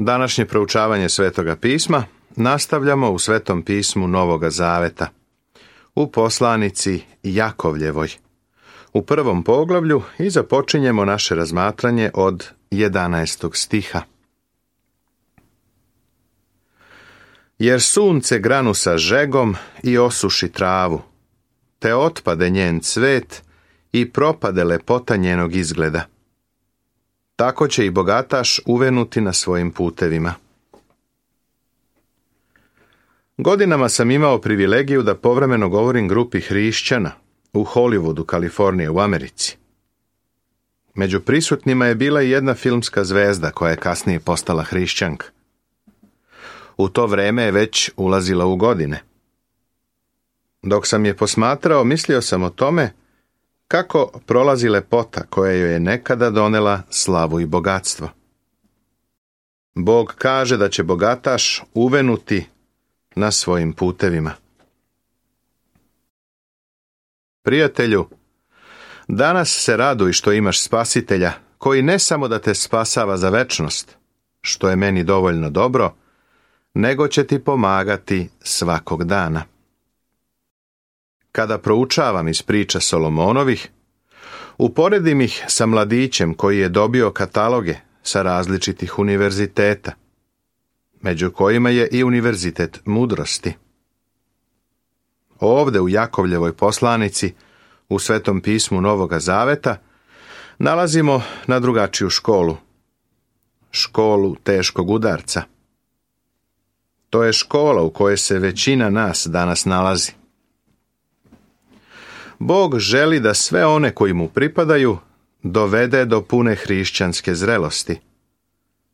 Današnje proučavanje Svetoga pisma nastavljamo u Svetom pismu Novoga Zaveta, u poslanici Jakovljevoj, u 1. poglavlju i započinjemo naše razmatranje od 11. stiha. Jer sunce granu sa žegom i osuši travu, te otpade njen cvet i propade lepota njenog izgleda. Tako će i bogataš uvenuti na svojim putevima. Godinama sam imao privilegiju da povremeno govorim grupi hrišćana u Hollywoodu, Kalifornije, u Americi. Među prisutnima je bila i jedna filmska zvezda koja je kasnije postala hrišćanka. U to vreme je već ulazila u godine. Dok sam je posmatrao, mislio sam o tome kako prolazi lepota koja joj je nekada donela slavu i bogatstvo. Bog kaže da će bogataš uvenuti na svojim putevima. Prijatelju, danas se raduj što imaš Spasitelja, koji ne samo da te spasava za večnost, što je meni dovoljno dobro, nego će ti pomagati svakog dana. Kada proučavam iz priča Solomonovih, uporedim ih sa mladićem koji je dobio kataloge sa različitih univerziteta, među kojima je i univerzitet mudrosti. Ovde u Jakovljevoj poslanici, u Svetom pismu Novoga Zaveta, nalazimo na drugačiju školu. Školu teškog udarca. To je škola u kojoj se većina nas danas nalazi. Bog želi da sve one koji mu pripadaju dovede do pune hrišćanske zrelosti,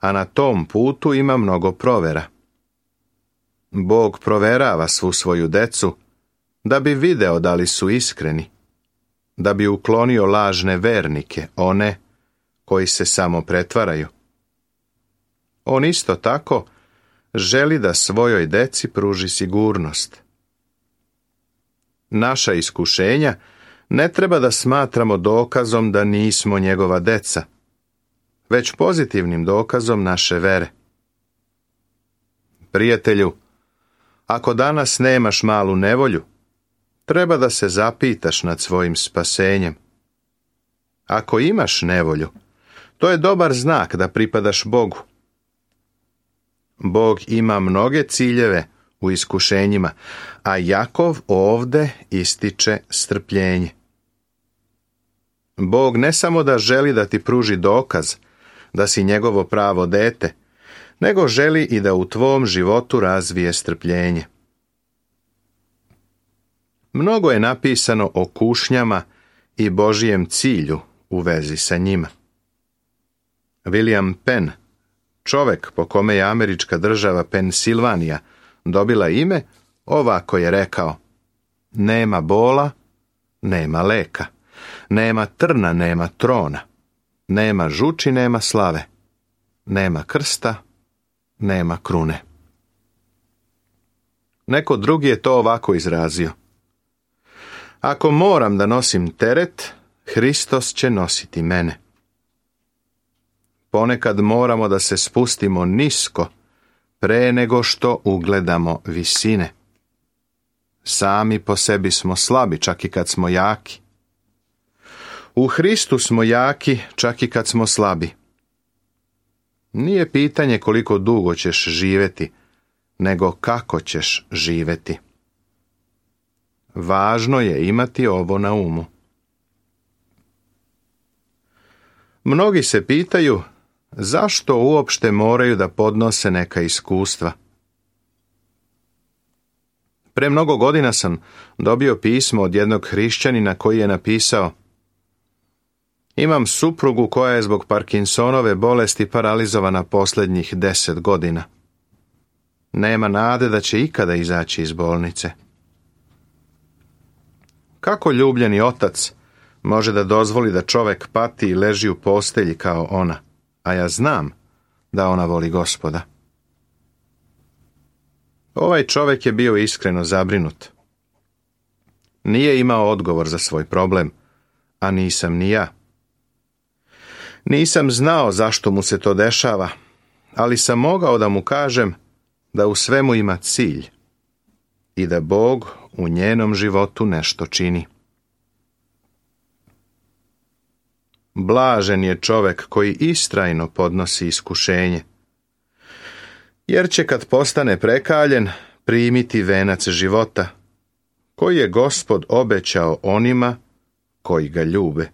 a na tom putu ima mnogo provera. Bog proverava svu svoju decu da bi video da li su iskreni, da bi uklonio lažne vernike, one koji se samo pretvaraju. On isto tako želi da svojoj deci pruži sigurnost. Naša iskušenja ne treba da smatramo dokazom da nismo njegova deca, već pozitivnim dokazom naše vere. Prijatelju, ako danas nemaš malu nevolju, treba da se zapitaš nad svojim spasenjem. Ako imaš nevolju, to je dobar znak da pripadaš Bogu. Bog ima mnoge ciljeve u iskušenjima, a Jakov ovde ističe strpljenje. Bog ne samo da želi da ti pruži dokaz da si njegovo pravo dete, nego želi i da u tvom životu razvije strpljenje. Mnogo je napisano o kušnjama i Božijem cilju u vezi sa njima. William Penn, čovek po kome je američka država Pensilvanija dobila ime, ovako je rekao: nema bola, nema leka, nema trna, nema trona, nema žuči, nema slave, nema krsta, nema krune. Neko drugi je to ovako izrazio: ako moram da nosim teret, Hristos će nositi mene. Ponekad moramo da se spustimo nisko pre nego što ugledamo visine. Sami po sebi smo slabi, čak i kad smo jaki. U Hristu smo jaki, čak i kad smo slabi. Nije pitanje koliko dugo ćeš živjeti, nego kako ćeš živjeti. Važno je imati ovo na umu. Mnogi se pitaju zašto uopšte moraju da podnose neka iskustva. Pre mnogo godina sam dobio pismo od jednog hrišćanina koji je napisao: imam suprugu koja je zbog Parkinsonove bolesti paralizovana posljednjih 10 godina. Nema nade da će ikada izaći iz bolnice. Kako ljubljeni otac može da dozvoli da čovek pati i leži u postelji kao ona, a ja znam da ona voli Gospoda? Ovaj čovek je bio iskreno zabrinut. Nije imao odgovor za svoj problem, a nisam ni ja. Nisam znao zašto mu se to dešava, ali sam mogao da mu kažem da u svemu ima cilj i da Bog u njenom životu nešto čini. Blažen je čovek koji istrajno podnosi iskušenje, jer će kad postane prekaljen primiti venac života, koji je Gospod obećao onima koji ga ljube.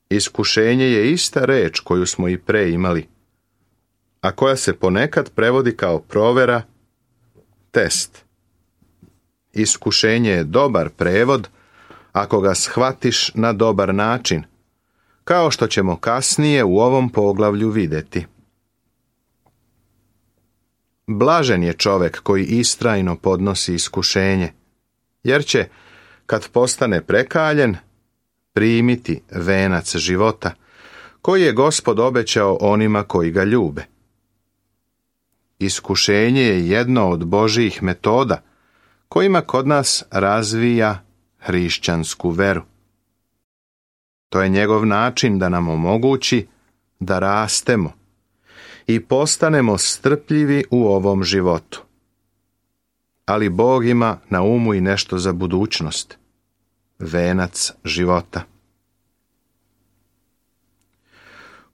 Iskušenje je ista reč koju smo i pre imali, a koja se ponekad prevodi kao provera, test. Iskušenje je dobar prevod ako ga shvatiš na dobar način, kao što ćemo kasnije u ovom poglavlju vidjeti. Blažen je čovek koji istrajno podnosi iskušenje, jer će, kad postane prekaljen, primiti venac života, koji je Gospod obećao onima koji ga ljube. Iskušenje je jedno od Božjih metoda, kojima kod nas razvija hrišćansku veru. To je njegov način da nam omogući da rastemo i postanemo strpljivi u ovom životu. Ali Bog ima na umu i nešto za budućnost. Venac života.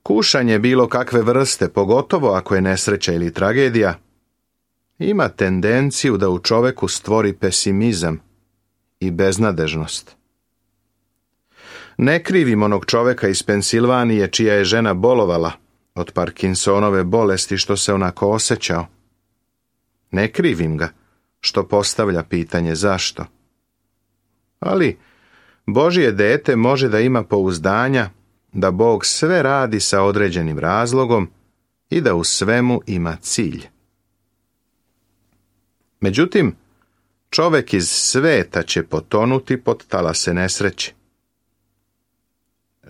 Kušanje bilo kakve vrste, pogotovo ako je nesreća ili tragedija, ima tendenciju da u čoveku stvori pesimizam i beznadežnost. Ne krivim onog čoveka iz Pensilvanije čija je žena bolovala od Parkinsonove bolesti što se onako osjećao. Ne krivim ga što postavlja pitanje zašto. Ali Božje dete može da ima pouzdanja da Bog sve radi sa određenim razlogom i da u svemu ima cilj. Međutim, čovek iz sveta će potonuti pod talase nesreće.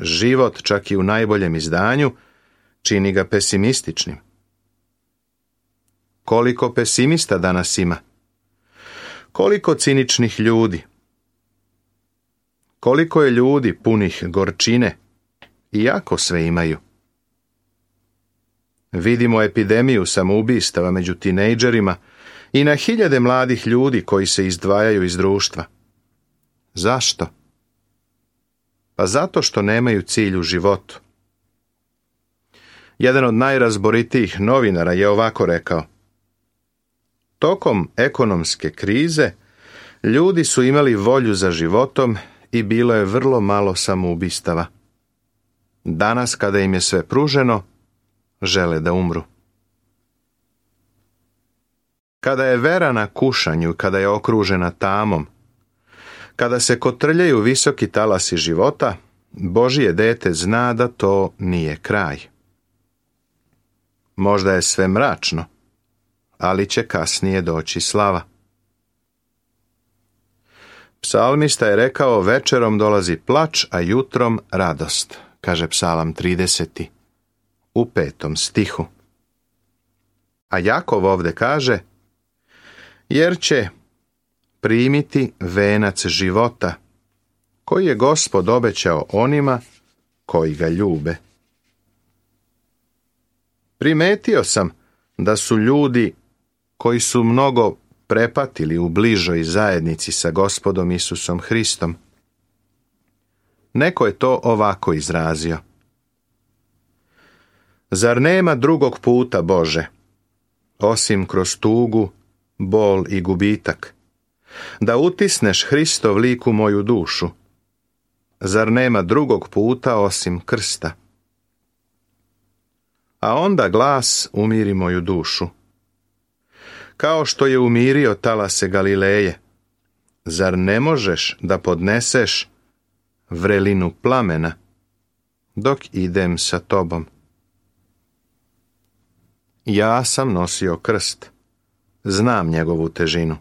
Život, čak i u najboljem izdanju, čini ga pesimističnim. Koliko pesimista danas ima? Koliko ciničnih ljudi? Koliko je ljudi punih gorčine, iako sve imaju? Vidimo epidemiju samoubistava među tinejdžerima i na hiljade mladih ljudi koji se izdvajaju iz društva. Zašto? Pa zato što nemaju cilj u životu. Jedan od najrazboritijih novinara je ovako rekao: tokom ekonomske krize ljudi su imali volju za životom i bilo je vrlo malo samoubistava. Danas, kada im je sve pruženo, žele da umru. Kada je vera na kušanju, kada je okružena tamom, kada se kotrljaju visoki talasi života, Božje dete zna da to nije kraj. Možda je sve mračno, ali će kasnije doći slava. Psalmista je rekao: večerom dolazi plač, a jutrom radost, kaže Psalam 30. u 5. stihu. A Jakov ovde kaže: jer će primiti venac života, koji je Gospod obećao onima koji ga ljube. Primetio sam da su ljudi koji su mnogo prepatili u bližoj zajednici sa Gospodom Isusom Hristom. Neko je to ovako izrazio: zar nema drugog puta, Bože, osim kroz tugu, bol i gubitak, da utisneš Hristov lik u moju dušu? Zar nema drugog puta osim krsta? A onda glas umiri moju dušu. Kao što je umirio talase Galileje, zar ne možeš da podneseš vrelinu plamena dok idem sa tobom? Ja sam nosio krst, znam njegovu težinu.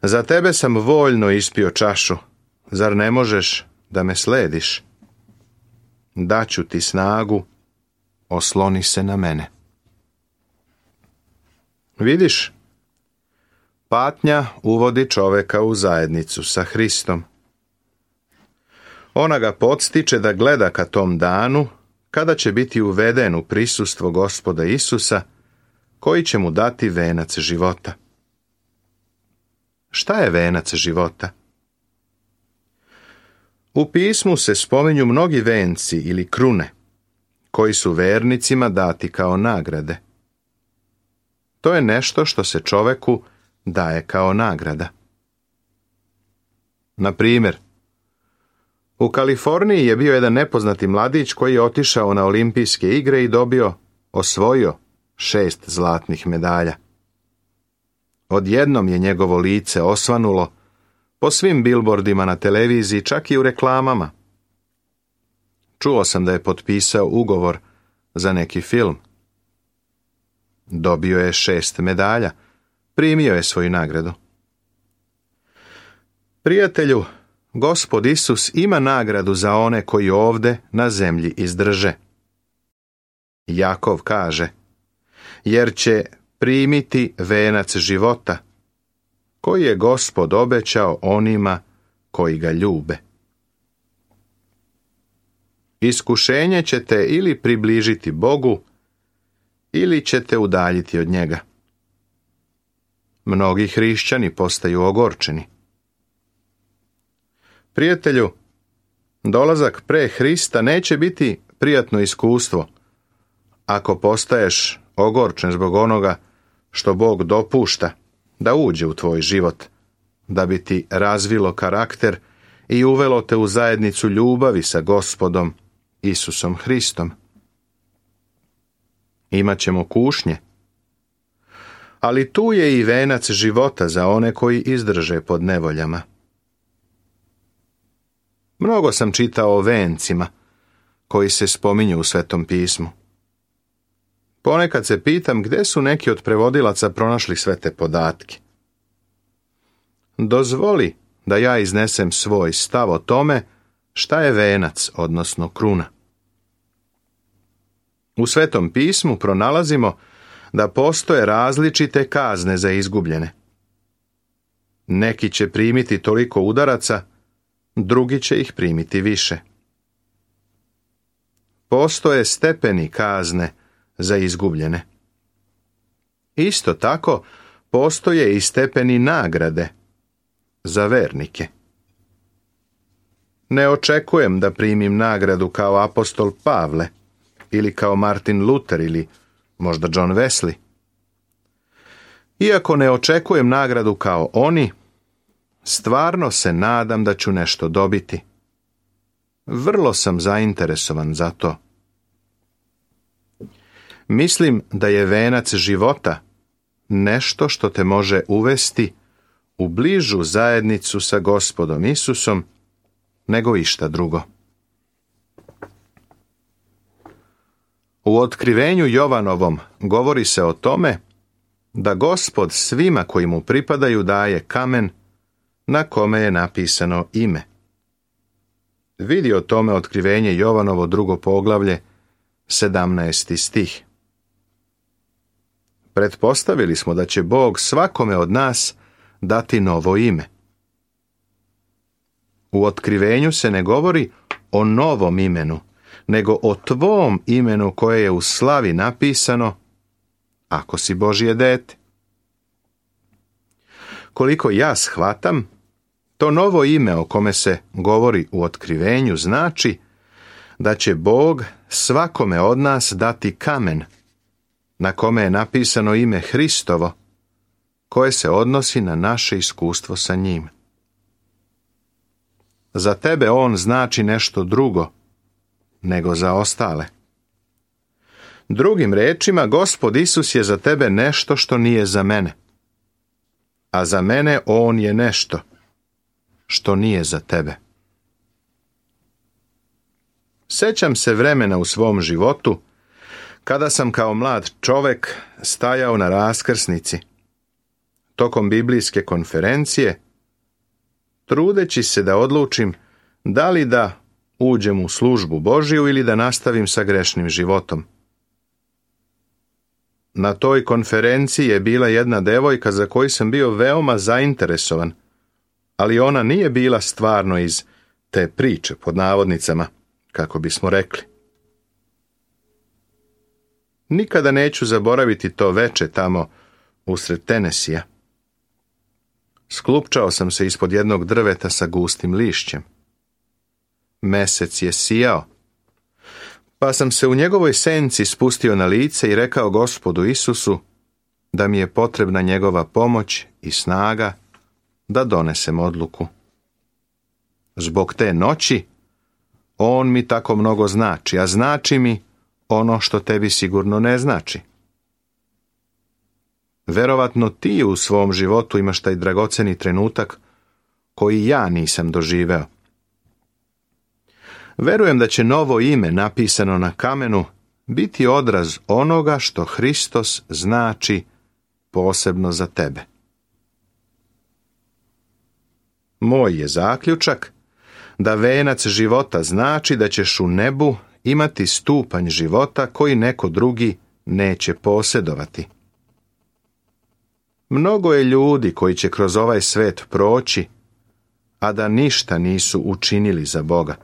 Za tebe sam voljno ispio čašu, zar ne možeš da me slediš? Daću ti snagu, osloni se na mene. Vidiš, patnja uvodi čoveka u zajednicu sa Hristom. Ona ga podstiče da gleda ka tom danu kada će biti uveden u prisustvo Gospoda Isusa, koji će mu dati venac života. Šta je venac života? U pismu se spominju mnogi venci ili krune, koji su vernicima dati kao nagrade. To je nešto što se čoveku daje kao nagrada. Na primjer, u Kaliforniji je bio jedan nepoznati mladić koji je otišao na olimpijske igre i osvojio 6 zlatnih medalja. Odjednom je njegovo lice osvanulo po svim bilbordima na televiziji, čak i u reklamama. Čuo sam da je potpisao ugovor za neki film. Dobio je 6 medalja, primio je svoju nagradu. Prijatelju, Gospod Isus ima nagradu za one koji ovde na zemlji izdrže. Jakov kaže, jer će primiti venac života, koji je Gospod obećao onima koji ga ljube. Iskušenje ćete ili približiti Bogu, ili ćete udaljiti od njega. Mnogi hrišćani postaju ogorčeni. Prijatelju, dolazak pre Hrista neće biti prijatno iskustvo ako postaješ ogorčen zbog onoga što Bog dopušta da uđe u tvoj život, da bi ti razvilo karakter i uvelo te u zajednicu ljubavi sa Gospodom Isusom Hristom. Imaćemo kušnje, ali tu je i venac života za one koji izdrže pod nevoljama. Mnogo sam čitao o vencima koji se spominju u Svetom pismu. Ponekad se pitam gdje su neki od prevodilaca pronašli sve te podatke. Dozvoli da ja iznesem svoj stav o tome šta je venac, odnosno kruna. U Svetom pismu pronalazimo da postoje različite kazne za izgubljene. Neki će primiti toliko udaraca, drugi će ih primiti više. Postoje stepeni kazne za izgubljene. Isto tako, postoje i stepeni nagrade za vernike. Ne očekujem da primim nagradu kao apostol Pavle, ili kao Martin Luther, ili možda John Wesley. Iako ne očekujem nagradu kao oni, stvarno se nadam da ću nešto dobiti. Vrlo sam zainteresovan za to. Mislim da je venac života nešto što te može uvesti u bližu zajednicu sa Gospodom Isusom nego išta drugo. U otkrivenju Jovanovom govori se o tome da Gospod svima koji mu pripadaju daje kamen na kome je napisano ime. Vidi o tome otkrivenje Jovanovo 2. poglavlje, 17. stih. Pretpostavili smo da će Bog svakome od nas dati novo ime. U otkrivenju se ne govori o novom imenu, nego o tvom imenu koje je u slavi napisano ako si Božje dete. Koliko ja shvatam, to novo ime o kome se govori u otkrivenju znači da će Bog svakome od nas dati kamen na kome je napisano ime Hristovo, koje se odnosi na naše iskustvo sa njim. Za tebe on znači nešto drugo nego za ostale. Drugim rečima, Gospod Isus je za tebe nešto što nije za mene, a za mene on je nešto što nije za tebe. Sećam se vremena u svom životu kada sam kao mlad čovek stajao na raskrsnici tokom biblijske konferencije, trudeći se da odlučim da li da uđem u službu Božiju ili da nastavim sa grešnim životom. Na toj konferenciji je bila jedna devojka za koju sam bio veoma zainteresovan, ali ona nije bila stvarno iz te priče, pod navodnicama, kako bismo rekli. Nikada neću zaboraviti to veče tamo usred Tenesija. Sklupčao sam se ispod jednog drveta sa gustim lišćem. Mesec je sijao, pa sam se u njegovoj senci spustio na lice i rekao Gospodu Isusu da mi je potrebna njegova pomoć i snaga da donesem odluku. Zbog te noći on mi tako mnogo znači, a znači mi ono što tebi sigurno ne znači. Verovatno ti u svom životu imaš taj dragoceni trenutak koji ja nisam doživeo. Verujem da će novo ime napisano na kamenu biti odraz onoga što Hristos znači posebno za tebe. Moj je zaključak da venac života znači da ćeš u nebu imati stupanj života koji neko drugi neće posjedovati. Mnogo je ljudi koji će kroz ovaj svet proći, a da ništa nisu učinili za Boga.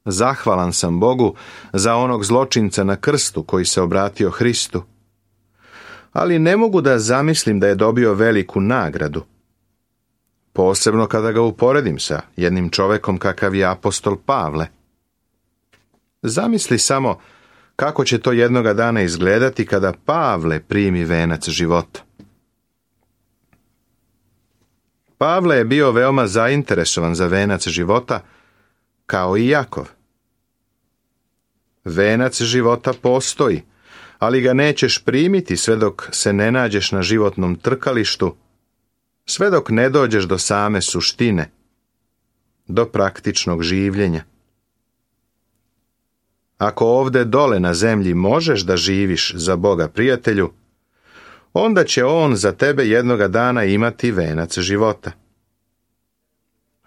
Zahvalan sam Bogu za onog zločinca na krstu koji se obratio Hristu, ali ne mogu da zamislim da je dobio veliku nagradu. Posebno kada ga uporedim sa jednim čovekom kakav je apostol Pavle. Zamisli samo kako će to jednoga dana izgledati kada Pavle primi venac života. Pavle je bio veoma zainteresovan za venac života, kao i Jakov. Venac života postoji, ali ga nećeš primiti sve dok se ne nađeš na životnom trkalištu, sve dok ne dođeš do same suštine, do praktičnog življenja. Ako ovde dole na zemlji možeš da živiš za Boga, prijatelju, onda će On za tebe jednoga dana imati venac života.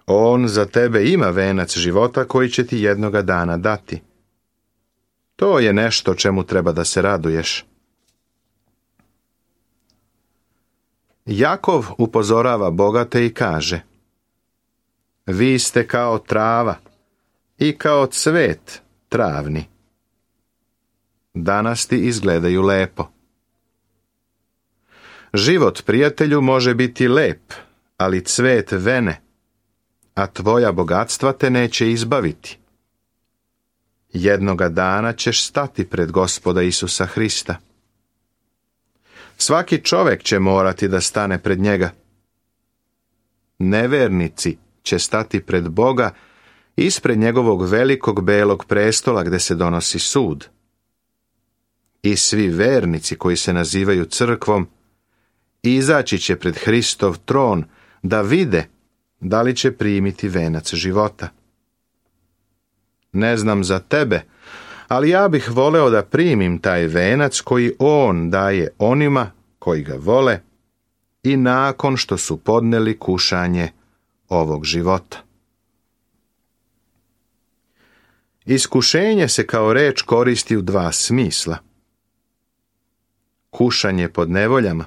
On za tebe ima venac života koji će ti jednoga dana dati. To je nešto čemu treba da se raduješ. Jakov upozorava bogate i kaže: vi ste kao trava i kao cvet travni. Danas ti izgledaju lepo. Život, prijatelju, može biti lep, ali cvet vene, a tvoja bogatstva te neće izbaviti. Jednoga dana ćeš stati pred Gospoda Isusa Hrista. Svaki čovjek će morati da stane pred njega. Nevernici će stati pred Boga ispred njegovog velikog belog prestola gde se donosi sud. I svi vernici koji se nazivaju crkvom izaći će pred Hristov tron da vide da li će primiti venac života. Ne znam za tebe, ali ja bih voleo da primim taj venac koji On daje onima koji ga vole i nakon što su podneli kušanje ovog života. Iskušenje se kao reč koristi u dva smisla. Kušanje pod nevoljama,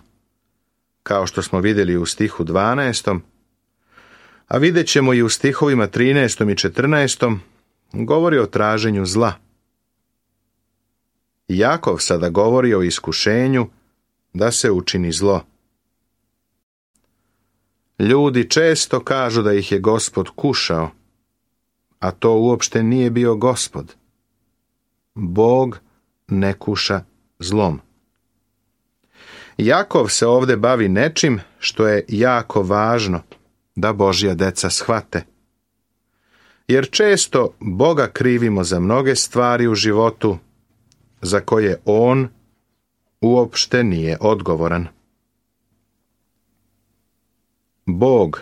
kao što smo vidjeli u stihu 12. A vidjet ćemo i u stihovima 13. i 14. govori o traženju zla. Jakov sada govori o iskušenju da se učini zlo. Ljudi često kažu da ih je Gospod kušao, a to uopšte nije bio Gospod. Bog ne kuša zlom. Jakov se ovdje bavi nečim što je jako važno da Božja deca shvate. Jer često Boga krivimo za mnoge stvari u životu za koje On uopšte nije odgovoran. Bog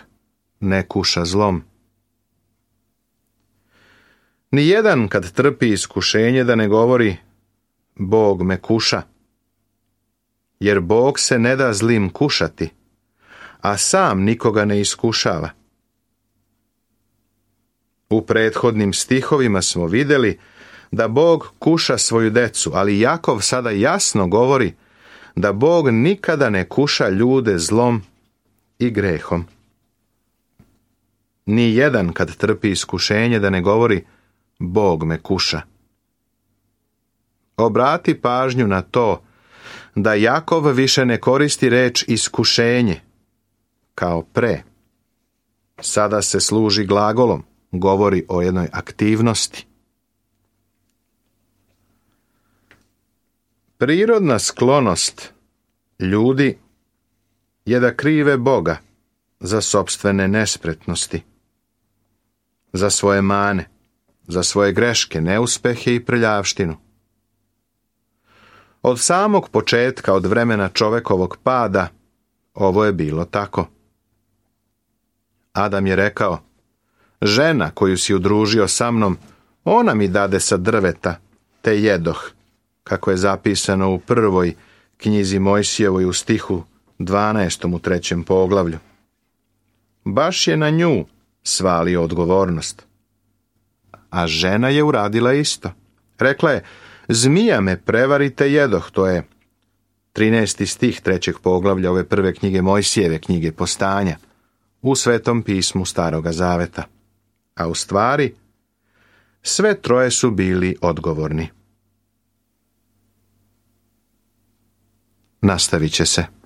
ne kuša zlom. Nijedan kad trpi iskušenje da ne govori Bog me kuša. Jer Bog se ne da zlim kušati, a sam nikoga ne iskušava. U prethodnim stihovima smo vidjeli da Bog kuša svoju decu, ali Jakov sada jasno govori da Bog nikada ne kuša ljude zlom i grehom. Ni jedan kad trpi iskušenje da ne govori Bog me kuša. Obrati pažnju na to da Jakov više ne koristi reč iskušenje kao pre. Sada se služi glagolom, govori o jednoj aktivnosti. Prirodna sklonost ljudi je da krive Boga za sopstvene nespretnosti, za svoje mane, za svoje greške, neuspehe i prljavštinu. Od samog početka, od vremena čovekovog pada, ovo je bilo tako. Adam je rekao: žena koju si udružio sa mnom, ona mi dade sa drveta, te jedoh, kako je zapisano u prvoj knjizi Mojsijevoj u stihu 12. u 3. poglavlju. Baš je na nju svalio odgovornost. A žena je uradila isto. Rekla je: zmija me prevarite jedoh, to je 13. stih 3. poglavlja ove prve knjige Mojsijeve, knjige Postanja, u Svetom pismu Staroga Zaveta. A u stvari, sve troje su bili odgovorni. Nastavit će se.